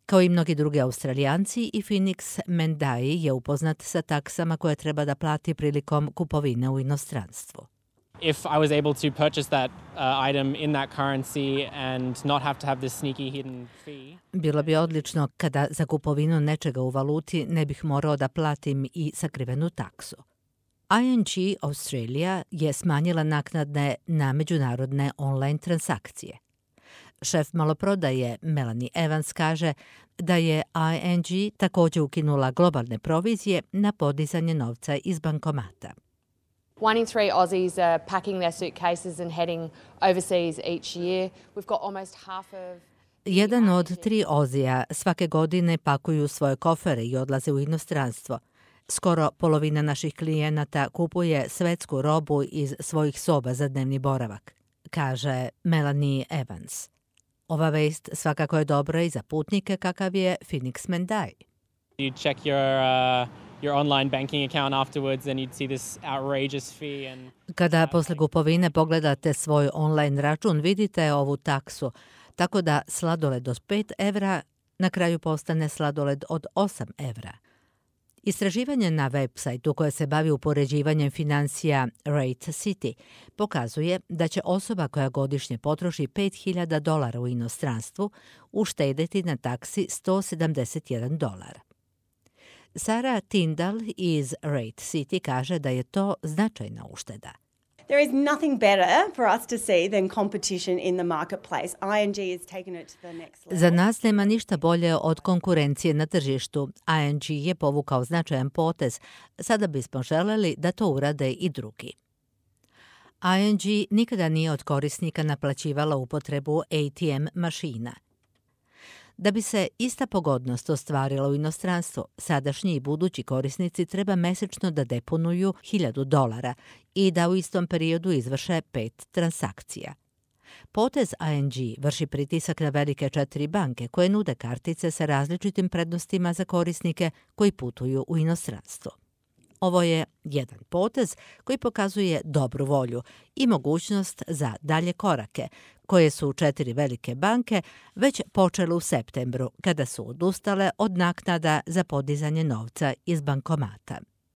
Kao i mnogi drugi Australijanci, i Phoenix Mendai je upoznat sa taksama koje treba da plati prilikom kupovine u inostranstvu. If I was able to purchase that item in that currency and not have to have this sneaky hidden fee. Bilo bi odlično kada za kupovinu nečega u valuti ne bih morao da platim i sakrivenu taksu. ING Australia je smanjila naknade na međunarodne online transakcije. Šef maloprodaje Melanie Evans kaže da je ING također ukinula globalne provizije na podizanje novca iz bankomata. 1 in 3 Aussies are packing their suitcases and heading overseas each year. We've got almost half of... Jedan od 3 Ozija svake godine pakuju svoje kofere i odlaze u inostranstvo. Skoro polovina naših klijenata kupuje svetsku robu iz svojih soba za dnevni boravak, kaže Melanie Evans. Ova vest svakako je dobra i za putnike kakav je Phoenix Mendai. You check your online banking account afterwards and you'd see this outrageous fee and Kada posle kupovine pogledate svoj online račun, vidite ovu taksu, tako da sladoled od 5 evra na kraju postane sladoled od 8 evra. Istraživanje na web sajtu koje se bavi upoređivanjem financija Rate City pokazuje da će osoba koja godišnje potroši $5.000 u inostranstvu uštedeti na taksi $171. Sarah Tyndall iz Rate City kaže da je to značajna ušteda. There is nothing better for us to see than competition in the marketplace. ING has taken it to the next level. Za nas nema ništa bolje od konkurencije na tržištu. ING je povukao značajan potez. Sada bismo želeli da to urade i drugi. ING nikada nije od korisnika naplaćivala upotrebu ATM mašina. Da bi se ista pogodnost ostvarila u inostranstvu, sadašnji i budući korisnici treba mesečno da deponuju $1.000 i da u istom periodu izvrše 5 transakcija. Potez ING vrši pritisak na velike 4 banke koje nude kartice sa različitim prednostima za korisnike koji putuju u inostranstvo. Ovo je jedan potez koji pokazuje dobru volju i mogućnost za dalje korake, koje su 4 velike banke već počele u septembru, kada su odustale od naknada za podizanje novca iz bankomata.